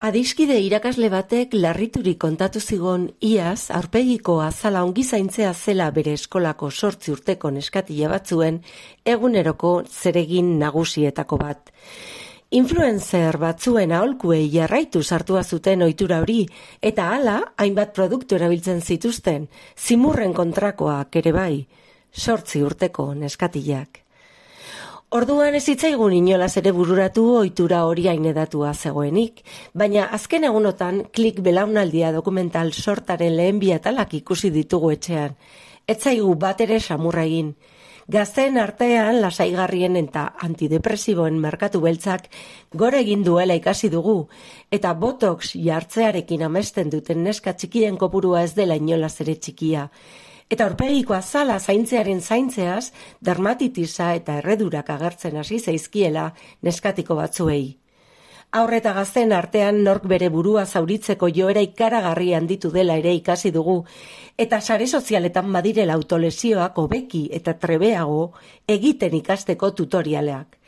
Adiskide irakasle batek larriturik kontatu zigon iaz aurpegiko azala ongi zaintzea zela bere eskolako 8 urteko neskatila batzuen eguneroko zeregin nagusietako bat. Influencer batzuen aholkuei jarraitu sartua zuten ohitura hori eta hala hainbat produktu erabiltzen zituzten, zimurren kontrakoak ere bai, 8 urteko neskatilak. Orduan ez zitzaigun inolaz ere bururatu ohitura hori ainedatua zegoenik, baina azken egunotan Klik belaunaldia dokumental sortaren lehen bi atalak ikusi ditugu etxean. Ez zaigu bat ere samurra egin. Gazteen artean lasaigarrien eta antidepresiboen merkatu beltzak gora egin duela ikasi dugu, eta botox jartzearekin amesten duten neska txikien kopurua ez dela inolaz ere txikia. Eta aurpegiko azala zaintzearen zaintzeaz, dermatitisa eta erredurak agertzen hasi zaizkiela neskatiko batzuei. Haur eta gazteen artean nork bere burua zauritzeko joera ikaragarri handitu dela ere ikasi dugu, eta sare sozialetan badirela autolesioak hobeki eta trebeago egiten ikasteko tutorialeak.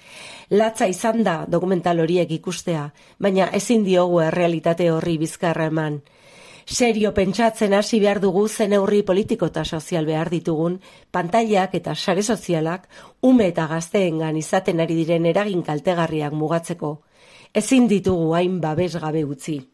Latza izan da dokumental horiek ikustea, baina ezin diogu errealitate horri bizkarra eman. Serio pentsatzen hasi behar dugu zen neurri politiko eta sozial behar ditugun, pantailak eta sare sozialak ume eta gazteengan izaten ari diren eragin kaltegarriak mugatzeko. Ezin ditugu hain babesgabe utzi.